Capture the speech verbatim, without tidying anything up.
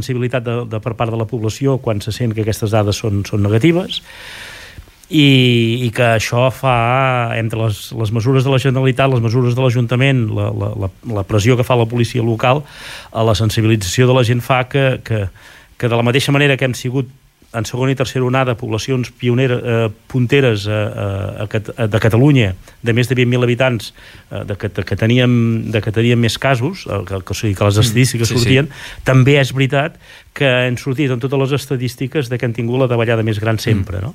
sensibilitat de, de per part de la població quan se sent que aquestes dades són, són negatives, i, i que això fa, entre les, les mesures de la Generalitat, les mesures de l'Ajuntament, la, la, la pressió que fa la policia local, a la sensibilització de la gent fa que, que, que de la mateixa manera que hem sigut en segona i tercera onada poblacions pioneres, eh, punteres eh, a, a, de Catalunya de més de vint mil habitants, eh, de, que, de, que teníem, de que teníem més casos, eh, que, que, o sigui, que les estadístiques mm, sí, sortien, sí. També és veritat que han sortit en totes les estadístiques de que han tingut la davallada més gran sempre, no?